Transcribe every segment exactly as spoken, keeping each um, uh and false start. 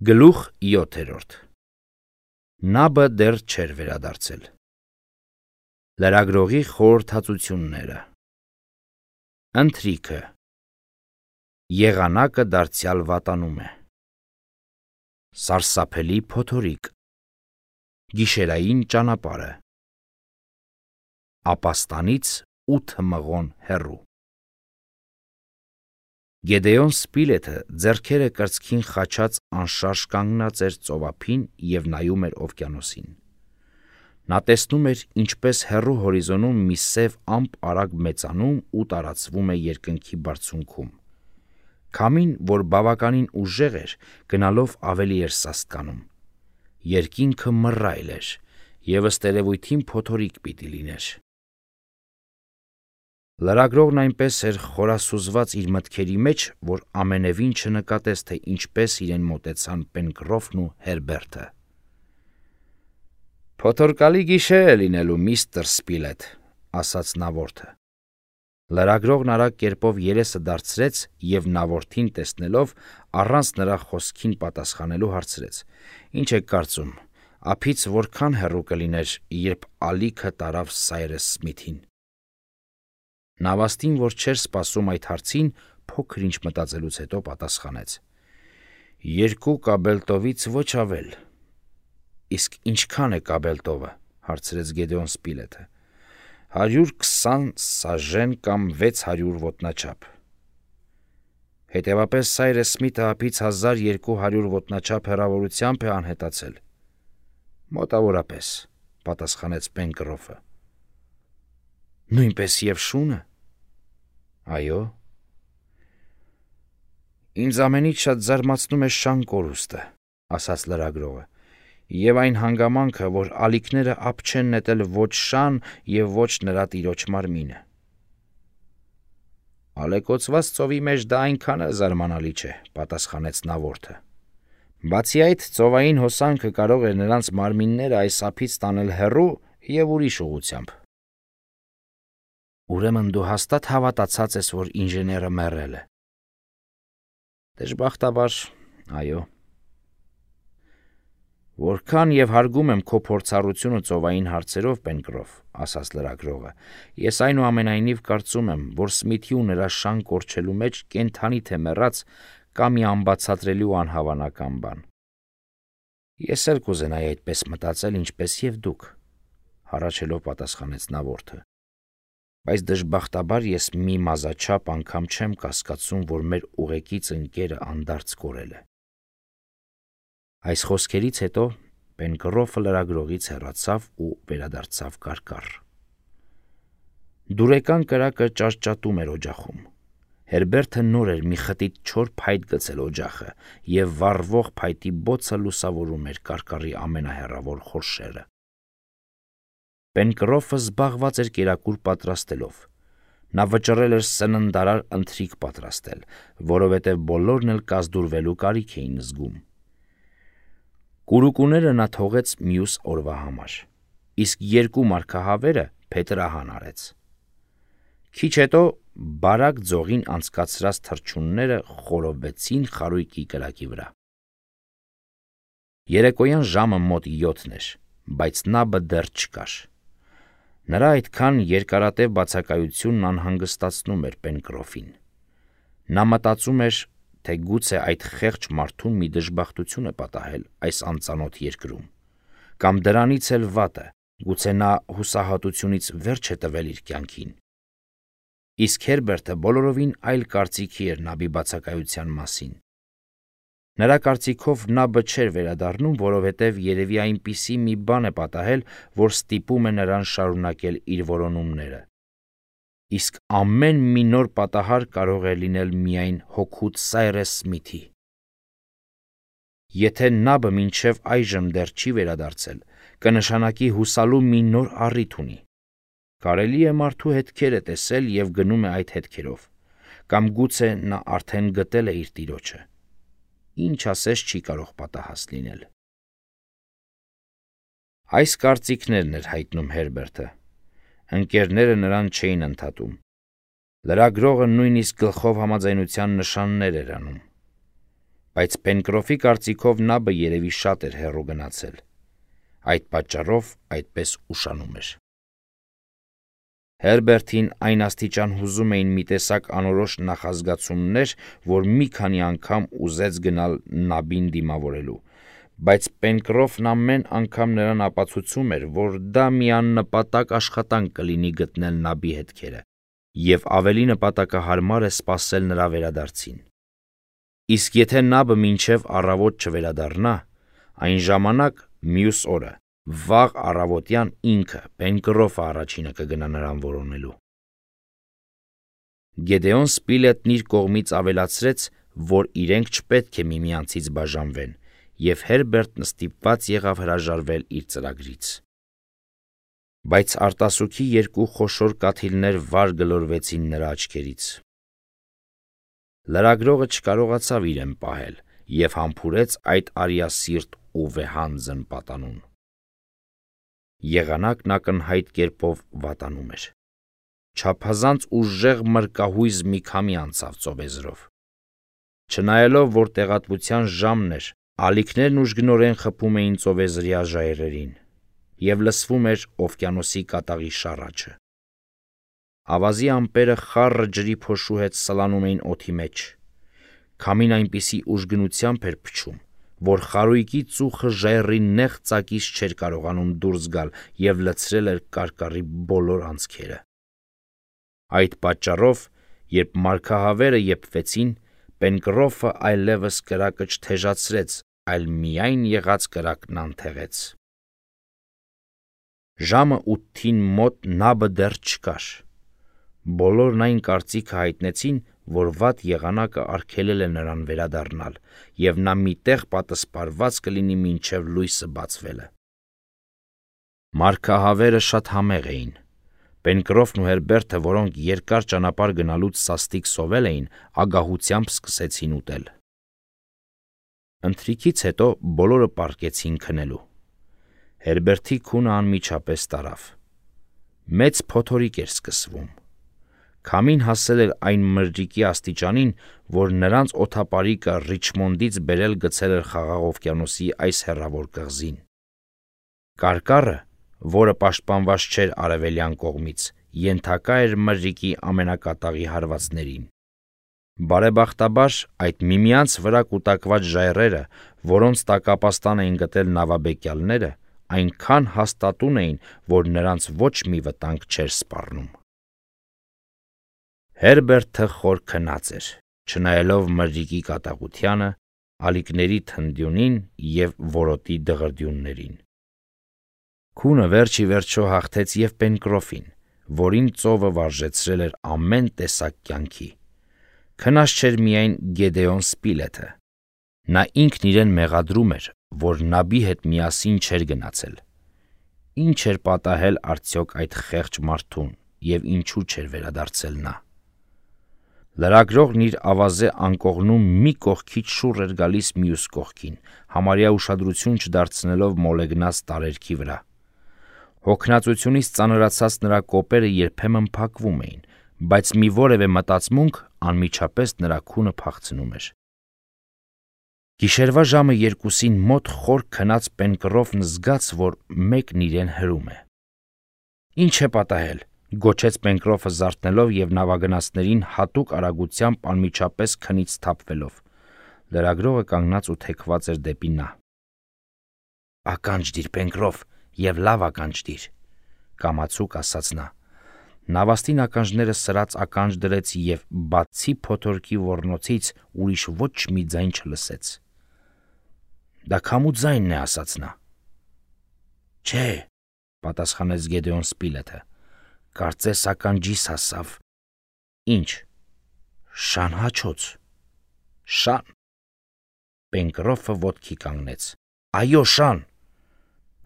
Գլուխ յոթերորդ. Նաբը դեռ չէր վերադարձել։ Լրագրողի խորհրդածությունները։ Ընթրիքը։ Եղանակը դարձյալ վատանում է։ Սարսափելի փոթորիկ։ Գիշերային ճանապարհը։ Ապաստանից ութ մղոն հեռու։ Գեդեոն Սպիլեթը ձեռքերը կրծքին խաչած անշարժ կանգնած էր ծովափին և նայում էր օվկիանոսին։ Նա տեսնում էր, ինչպես հեռու հորիզոնում մի սև ամպ արագ մեծանում ու տարածվում է երկնքի բարձունքում։ Քամին, որ բավականին ուժեղ էր, գնալով ավելի էր սաստկանում։ Երկինքը մռայլ էր, և ըստ երևույթին փոթորիկ պիտի լիներ։ Լրագրողն այնպես էր խորասուզված իր մտքերի մեջ, որ ամենևին չնկատեց, թե ինչպես իրեն մոտեցան Պենկրոֆն ու Հերբերտը։ «Փոթորկալի գիշեր է լինելու, միստր Սպիլեթ», ասաց նավորդը։ Լրագրողն արագ կերպով երեսը դարձրեց և նավորդին տեսնելով, առանց նրա խոսքին պատասխանելու հարցրեց. «Ինչ եք կարծում, ափից որքան հեռու կլիներ, երբ ալիքը տարավ Սայրս Սմիթին»։ Նավաստին, որ չէր սպասում այդ հարցին, փոքր-ինչ մտածելուց հետո պատասխանեց. «Երկու կաբելտովից ոչ ավել»։ «Իսկ ինչքան է կաբելտովը»՝ հարցրեց Գեդեոն Սպիլեթը։ «Հարյուր քսան սաժեն կամ վեց հարյուր ոտնաչափ»։ «Հետևապես Սայրս Սմիթը ափից հազար երկու հարյուր ոտնաչափ հեռավորությամբ է անհետացել»։ «Մոտավորապես», պատասխանեց Պենկրոֆը։ «Նույնպես և շունը»։ «Այո»։ «Ինձ ամենից շատ զարմացնում է շան կորուստը», ասաց լրագրողը, «և այն հանգամանքը, որ ալիքները ափ չեն նետել ոչ շան և ոչ նրա տիրոջ մարմինը»։ «Ալեկոծված ծովի մեջ դա այնքան էլ զարմանալի չէ», պատասխանեց նավորդը։ «Բացի այդ, ծովային հոսանքը կարող էր նրանց մարմինները այս ափից տանել հեռու և ուրիշ ուղղությամբ»։ «Ուրեմն դու հաստատ հավատացած ես, որ ինժեները մեռել է»։ «Դժբախտաբար, այո»։ «Որքան և հարգում եմ քո փորձառությունը ծովային հարցերով, Պենկրոֆ», ասաց լրագրողը, «ես այնուամենայնիվ կարծում եմ, որ Սմիթի ու նրա շան կորչելու մեջ կենդանի թե մեռած կա մի անբացատրելի ու անհավանական բան»։ «Ես էլ կուզենայի այդպես մտածել, ինչպես և դուք», հառաչելով պատասխանեց նավորդը։ «Բայց դժբախտաբար ես մի մազաչափ անգամ չեմ կասկածում, որ մեր ուղեկից ընկերը անդարձ կորել է»։ Այս խոսքերից հետո Պենկրոֆը լրագրողից հեռացավ ու վերադարձավ կարկառ։ Դուրեկան կրակը ճարճատում էր օջախում։ Հերբերտը նոր էր մի խտիտ չոր փայտ գցել օջախը, և վառվող փայտի բոցը լուսավորում էր կարկառի ամենահեռավոր խորշերը։ Պենկրոֆը զբաղված էր կերակուր պատրաստելով։ Նա վճռել էր սննդարար ընթրիք պատրաստել, որովհետև բոլորն էլ կազդուրվելու կարիք էին զգում։ Կուրուկուները նա թողեց մյուս օրվա համար, իսկ երկու մարգահավերը փետրահան արեց։ Քիչ հետո բարակ ձողին անցկացրած թռչունները խորովվեցին խարույկի կրակի վրա։ Երեկոյան ժամը մոտ յոթն էր, բայց նաբը դեռ չկար։ Նրա այդքան երկարատև բացակայությունն անհանգստացնում էր Պենկրոֆին։ Նա մտածում էր, թե գուցե այդ խեղճ մարդուն մի դժբախտություն է պատահել այս անծանոթ երկրում, կամ դրանից էլ վատը, գուցե նա հուսահատությունից վերջ է տվել իր կյանքին։ Իսկ Հերբերտը բոլորովին այլ կարծիքի էր նաբի բացակայության մասին։ Նրա կարծիքով նաբը չէր վերադառնում, որովհետև երևի այնպիսի մի բան է պատահել, որ ստիպում է նրան շարունակել իր որոնումները։ Իսկ ամեն մի նոր պատահար կարող էր լինել միայն հօգուտ Սայրս Սմիթի։ Եթե նաբը մինչև այժմ դեռ չի վերադարձել, կնշանակի հուսալու մի նոր առիթ ունի։ Կարելի է մարդու հետքերը տեսել և գնում է այդ հետքերով, կամ գուցե նա արդեն գտել է իր տիրոջը։ Ինչ ասես չի կարող պատահած լինել։ Այս կարծիքներն էր հայտնում Հերբերտը։ Ընկերները նրան չէին ընդհատում։ Լրագրողը նույնիսկ գլխով համաձայնության նշաններ էր անում։ բայց Պենկրոֆի կարծիքով նաբը երևի շատ էր հեռու գնացել։ Այդ պատճառով այդպես ուշանում էր։ Հերբերտին այն աստիճան հուզում էին մի տեսակ անորոշ նախազգացումներ, որ մի քանի անգամ ուզեց գնալ նաբին դիմավորելու, բայց Պենկրոֆն ամեն անգամ նրան ապացուցում էր, որ դա մի աննպատակ աշխատանք կլինի գտնել նաբի հետքերը, և ավելի նպատակահարմար է սպասել նրա վերադարձին։ Իսկ եթե նաբը մինչև առավոտ չվերադառնա, այն ժամանակ մյուս օրը վաղ առավոտյան ինքը Պենկրոֆը առաջինը կգնա նրան որոնելու։ Գեդեոն Սպիլետն իր կողմից ավելացրեց, որ իրենք չպետք է միմյանցից բաժանվեն, և Հերբերտն ստիպված եղավ հրաժարվել իր ծրագրից։ Բայց արտասուքի երկու խոշոր կաթիլներ վար գլորվեցին նրա աչքերից։ Լրագրողը չկարողացավ իրեն պահել և համբուրեց այդ արիասիրտ ու վեհանձն պատանուն։ Եղանակն ակնհայտ կերպով վատանում էր։ Չափազանց ուժեղ մրկահույզ մի քամի անցավ ծովեզրով։ Չնայելով, որ տեղատվության ժամն էր, ալիքներն ուժգնորեն խփում էին ծովեզրյա ժայռերին, և լսվում էր օվկիանոսի կատաղի շառաչը։ Ավազի ամպերը խառը ջրի փոշու հետ սլանում էին օդի մեջ։ Քամին այնպիսի ուժգնությամբ էր փչում, որ խարույկի ծուխը ժայռի նեղ ծակից չէր կարողանում դուրս գալ և լցրել էր կարկառի բոլոր անցքերը։ Այդ պատճառով, երբ մարգահավերը եփվեցին, Պենկրոֆը այլևս կրակը չթեժացրեց, այլ միայն եղած կրակն անթեղեց։ Ժամը ութին մոտ նաբը դեռ չկար։ Բոլորն այն կարծիքը հայտնեցին, որ վատ եղանակը արգելել է նրան վերադառնալ, և նա մի տեղ պատսպարված կլինի մինչև լույսը բացվելը։ Մարգահավերը շատ համեղ էին։ Պենկրոֆն ու Հերբերտը, որոնք երկար ճանապարհ գնալուց սաստիկ սովել էին, ագահությամբ սկսեցին ուտել։ Ընթրիքից հետո բոլորը պառկեցին քնելու։ Հերբերտի քունը անմիջապես տարավ։ Մեծ փոթորիկ էր սկսվում։ Քամին հասել էր այն մրրիկի աստիճանին, որ նրանց օդապարիկը Ռիչմոնդից բերել գցել էր Խաղաղ օվկիանոսի այս հեռավոր կղզին։ Կարկառը, որը պաշտպանված չէր արևելյան կողմից, ենթակա էր մրրիկի ամենակատաղի հարվածներին։ Բարեբախտաբար, այդ միմյանց վրա կուտակված ժայռերը, որոնց տակ ապաստան էին գտել նավաբեկյալները, այնքան հաստատուն էին, որ նրանց ոչ մի վտանգ չէր սպառնում։ Հերբերտը խոր քնած էր, չնայելով մրրիկի կատաղությանը, ալիքների թնդյունին և որոտի դղրդյուններին։ Քունը վերջ ի վերջո հաղթեց և Պենկրոֆին, որին ծովը վարժեցրել էր ամեն տեսակ կյանքի։ Քնած չէր միայն Գեդեոն Սպիլետը։ Նա ինքն իրեն մեղադրում էր, որ նաբի հետ միասին չէր գնացել։ Ինչ էր պատահել արդյոք այդ խեղճ մարդուն և ինչու չէր վերադարձել նա։ Լրագրողն իր ավազե անկողնում մի կողքից շուռ էր գալիս մյուս կողքին, համարյա ուշադրություն չդարձնելով մոլեգնած տարերքի վրա։ Հոգնածությունից ծանրացած նրա կոպերը երբեմն փակվում էին, բայց մի որևէ մտածմունք անմիջապես նրա քունը փախցնում էր։ Գիշերվա ժամը երկուսին մոտ խոր քնած Պենկրոֆն զգաց, որ մեկն իրեն հրում է։ «Ինչ է պատահել», գոչեց Պենկրոֆը զարթնելով և նավագնացներին հատուկ արագությամբ անմիջապես քնից սթափվելով։ Լրագրողը կանգնած ու թեքված էր դեպի նա։ «Ականջ դիր, Պենկրոֆ, և լավ ականջ դիր», կամացուկ ասաց նա։ Նավաստին ականջները սրած ականջ դրեց և բացի փոթորկի ոռնոցից ուրիշ ոչ մի ձայն չլսեց։ «Դա քամու ձայնն է», ասաց նա։ «Չէ», պատասխանեց Գեդեոն Սպիլետը, «կարծես ականջիս հասավ»։ «Ինչ»։ «Շան հաչոց»։ «Շան»։ Պենկրոֆը ոտքի կանգնեց։ «Այո, շան»։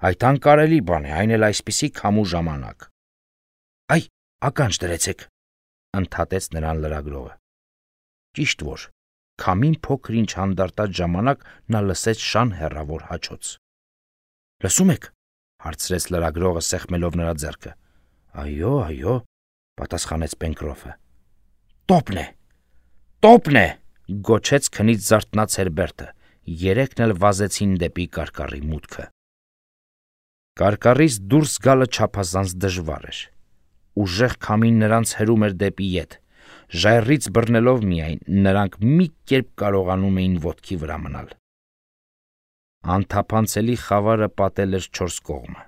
«Այդ անկարելի բան է, այն էլ այսպիսի քամու ժամանակ»։ «Այ, ականջ դրեցեք», ընդհատեց նրան լրագրողը։ Ճիշտ որ, քամին փոքր-ինչ հանդարտած ժամանակ նա լսեց շան հեռավոր հաչոց։ «Լսում եք», հարցրեց լրագրողը սեղմելով նրա ձեռքը։ «Այո, այո», պատասխանեց Պենկրոֆը։ «Տոպն է, տոպն է», գոչեց քնից զարթնած Հերբերտը, երեքն էլ վազեցին դեպի կարկառի մուտքը։ Կարկառից դուրս գալը չափազանց դժվար էր։ Ուժեղ քամին նրանց հրում էր դեպի ետ, ժայռից բռնելով միայն նրանք մի կերպ կարողանում էին ոտքի վրա մնալ։ Անթափանցելի խավարը պատել էր չորս կողմը։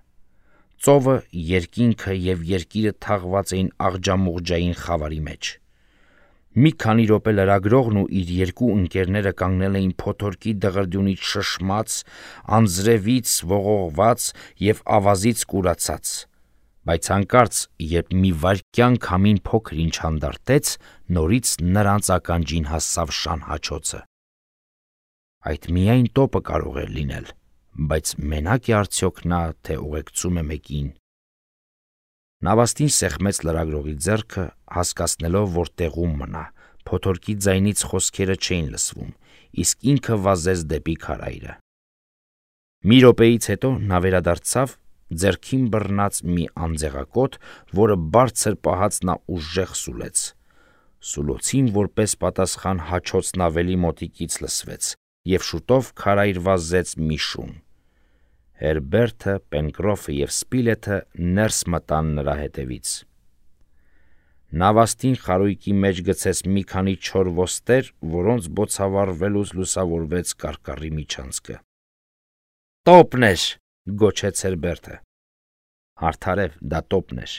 Ծովը, երկինքը և երկիրը թաղված էին աղջամուղջային խավարի մեջ։ Մի քանի րոպե լրագրողն ու իր երկու ընկերները կանգնել էին փոթորկի դղրդյունից շշմած, անձրևից ողողված և ավազից կուրացած, բայց հանկարծ, երբ մի վայրկյան քամին փոքր-ինչ հանդարտեց, նորից նրանց ականջին հասավ շան հաչոցը։ Այդ միայն տոպը կարող էր լինել, բայց մենակ է արդյոք նա, թե ուղեկցում է մեկին։ Նավաստին սեղմեց լրագրողի ձեռքը, հասկացնելով, որ տեղում մնա, փոթորկի ձայնից խոսքերը չէին լսվում, իսկ ինքը վազեց դեպի քարայրը։ Մի րոպեից հետո նա վերադարձավ, ձեռքին բռնած մի անձեղակոթ, որը բարձր պահած նա ուժեղ սուլեց։ Սուլոցին որպես պատասխան հաչոցն ավելի մոտիկից լսվեց, և շուտով քարայր վազեց մի շուն։ Հերբերտը, Պենկրոֆը և Սպիլեթը ներս մտան նրա հետևից։ Նավաստին խարույկի մեջ գցեց մի քանի չոր ոստեր, որոնց բոցավառվելուց լուսավորվեց կարկառի միջանցքը։ «Տոպն էր», գոչեց Հերբերտը։ Արդարև դա տոպն էր,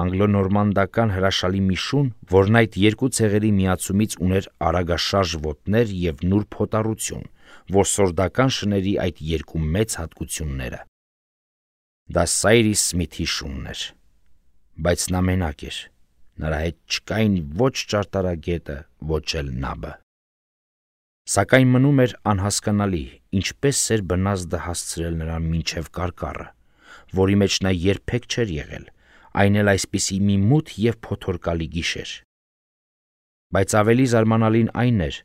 անգլոնորմանդական հրաշալի մի շուն, որն այդ երկու ցեղերի միացումից ուներ արագաշարժ ոտներ և նուրբ հոտառություն, որսորդական շների այդ երկու մեծ հատկությունները։ Դա Սայրիս Սմիթի շունն էր, բայց նա մենակ էր, նրա հետ չկային ոչ ճարտարագետը, ոչ էլ նաբը։ Սակայն մնում էր անհասկանալի, ինչպես էր բնազդը հասցրել նրան մինչև կարկառը, որի մեջ նա երբեք չէր եղել, այն էլ այսպիսի մի մութ և փոթորկալի գիշեր։ Բայց ավելի զարմանալին այն էր,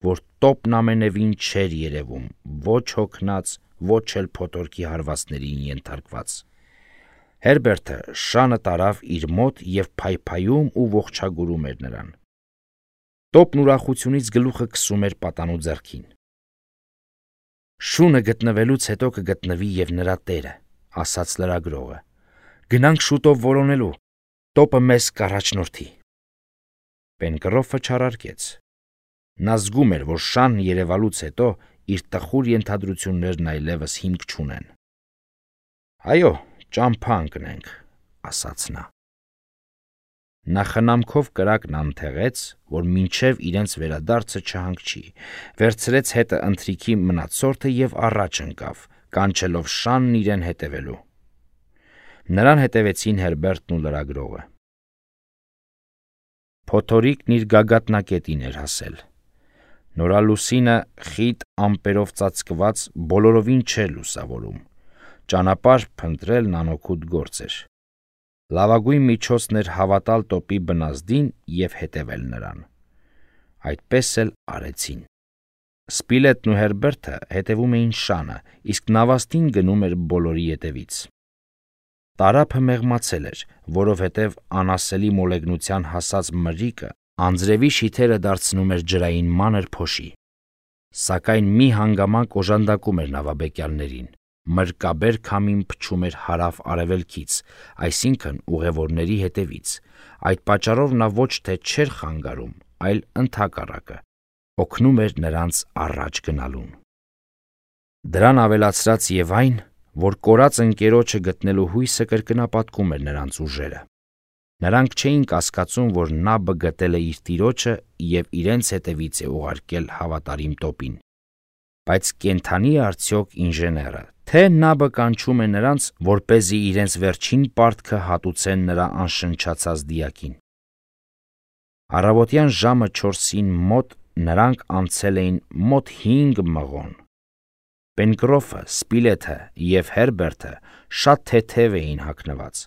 որ տոպն ամենևին չէր երևում, ոչ հոգնած, ոչ էլ փոթորկի հարվածներին ենթարկված։ Հերբերտը շանը տարավ իր մոտ և փայփայում ու ողջագուրում էր նրան։ Տոպն ուրախությունից գլուխը քսում էր պատանու ձեռքին։ «Շունը գտնվելուց հետո կգտնվի և նրա տերը», ասաց լրագրողը։ «Գնանք շուտով որոնելու, տոպը մեզ կառաջնորդի»։ Պենկրոֆը չարարկեց։ Նա զգում էր, որ շան երևալուց հետո իր տխուր ենթադրություններն այլևս հիմք չունեն։ «Այո, ճամփա ընկնենք», ասաց նա։ Նա խնամքով կրակն անթեղեց, որ մինչև իրենց վերադարձը չհանգչի, վերցրեց հետը ընթրիքի մնացորդը և առաջ ընկավ, կանչելով շանն իրեն հետևելու։ Նրան հետևեցին Հերբերտն ու լրագրողը։ Փոթորիկն իր գագաթնակետին էր հասել։ Նորալուսինը խիտ ամպերով ծածկված բոլորովին չէր լուսավորում։ Ճանապարհ փնտրելն անօգուտ գործ էր։ Լավագույն միջոցն էր հավատալ տոպի բնազդին և հետևել նրան։ Այդպես էլ արեցին։ Սպիլետն ու Հերբերտը հետևում էին շանը, իսկ նավաստին գնում էր բոլորի ետևից։ Տարափը մեղմացել էր, որովհետև անասելի մոլեգնության հասած մրրիկը անձրևի շիթերը դարձնում էր ջրային մանր փոշի։ Սակայն մի հանգամանք օժանդակում էր նավաբեկյալներին։ Մրրկաբեր քամին փչում էր հարավ-արևելքից, այսինքն ուղևորների հետևից։ Այդ պատճառով նա ոչ թե չէր խանգարում, այլ ընդհակառակը, օգնում էր նրանց առաջ գնալուն։ Դրան ավելացրած և այն, որ կորած ընկերոջը գտնելու հույսը կրկնապատկում էր նրանց ուժերը։ Նրանք չէին կասկածում, որ նաբը գտել է իր տիրոջը և իրենց հետևից է ուղարկել հավատարիմ տոպին։ Բայց կենդանի է արդյոք ինժեները, թե նաբը կանչում է նրանց, որպեսզի իրենց վերջին պարտքը հատուցեն նրա անշնչացած դիակին։ Առավոտյան ժամը չորսին մոտ նրանք անցել էին մոտ հինգ մղոն։ Պենկրոֆը, Սպիլեթը և Հերբերտը շատ թեթև էին հագնված։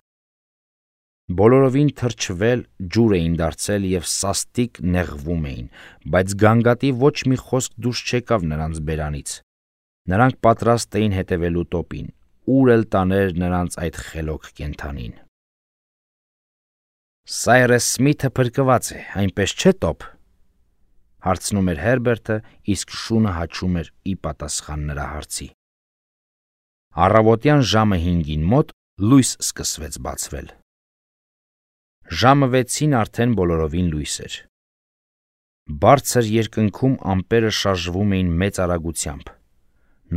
Բոլորովին թրջվել, ջուր էին դարձել և սաստիկ նեղվում էին, բայց գանգատի ոչ մի խոսք դուրս չեկավ նրանց բերանից։ Նրանք պատրաստ էին հետևելու տոպին, ուր էլ տաներ նրանց այդ խելոք կենդանին։ «Սայրես Սմիթը փրկված է, այնպես չէ՞ տոպ», հարցնում էր Հերբերտը, իսկ շունը հաչում էր ի պատասխան նրա հարցի։ Առավոտյան ժամը հինգին մոտ լույս սկսվեց բացվել։ Ժամը վեցին արդեն բոլորովին լույս էր։ Բարձր երկնքում ամպերը շարժվում էին մեծ արագությամբ։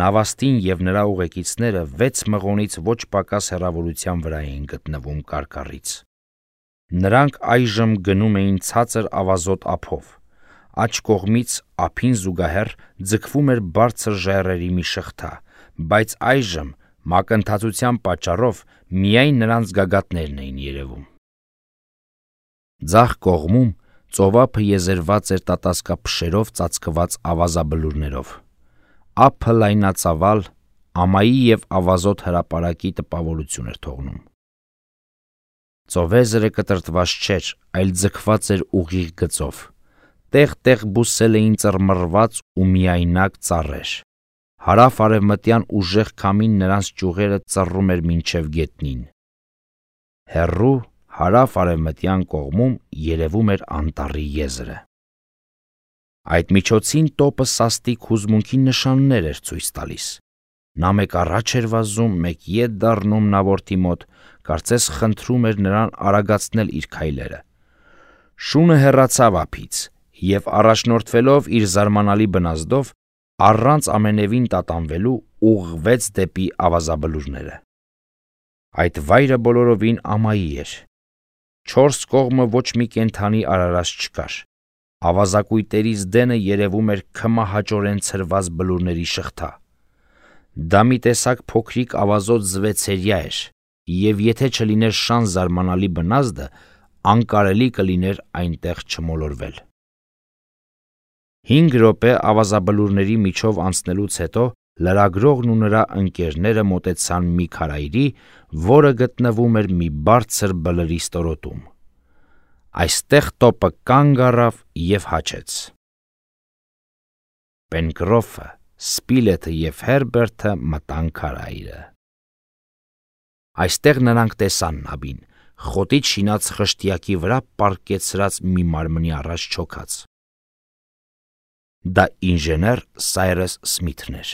Նավաստին և նրա ուղեկիցները վեց մղոնից ոչ պակաս հեռավորության վրա էին գտնվում կարկառից։ Նրանք այժմ գնում էին ցածր ավազոտ ափով։ Աջ կողմից ափին զուգահեռ ձգվում էր բարձր ժայռերի մի շղթա, բայց այժմ մակընթացության պատճառով միայն նրանց գագաթներն էին երևում։ Ձախ կողմում ծովափը եզերված էր տատասկափշերով ծածկված ավազաբլուրներով։ Ափը լայնածավալ, ամայի և ավազոտ հրապարակի տպավորություն էր թողնում։ Ծովեզրը կտրտված չէր, այլ ձգված էր ուղիղ գծով։ Տեղ-տեղ բուսել էին ծռմռված ու միայնակ ծառեր։ Հարավ-արևմտյան ուժեղ քամին նրանց ճյուղերը ծռում էր մինչև գետնին։ Հեռու հարավ-արևմտյան կողմում երևում էր անտառի եզրը։ Այդ միջոցին տոպը սաստիկ հուզմունքի նշաններ էր ցույց տալիս։ Նա մեկ առաջ էր վազում, մեկ ետ դառնում նավորդի մոտ, կարծես խնդրում էր նրան արագացնել իր քայլերը։ Շունը հեռացավ ափից և, առաջնորդվելով իր զարմանալի բնազդով, առանց ամենևին տատանվելու ուղղվեց դեպի ավազաբլուրները։ Այդ վայրը բոլորովին ամայի էր։ Չորս կողմը ոչ մի կենդանի արարած չկար։ Ավազակույտերից դենը երևում էր քմահաճորեն ցրված բլուրների շղթա։ Դա մի տեսակ փոքրիկ ավազոտ զվեցերյա էր, և եթե չլիներ շան զարմանալի բնազդը, անկարելի կլիներ այնտեղ չմոլորվել։ Հինգ րոպե ավազաբլուրների միջով անցնելուց հետո լրագրողն ու նրա ընկերները մոտեցան մի քարայրի, որը գտնվում էր մի բարձր բլրի ստորոտում։ Այստեղ տոպը կանգ առավ և հաչեց։ Պենկրոֆը, Սպիլեթը և Հերբերտը մտան քարայրը։ Այստեղ նրանք տեսան նավին, խոտից շինած խշտյակի վրա պառկեցրած մի մարմնի առաջ չոքած։ Դա ինժեներ Սայրս Սմիթն էր։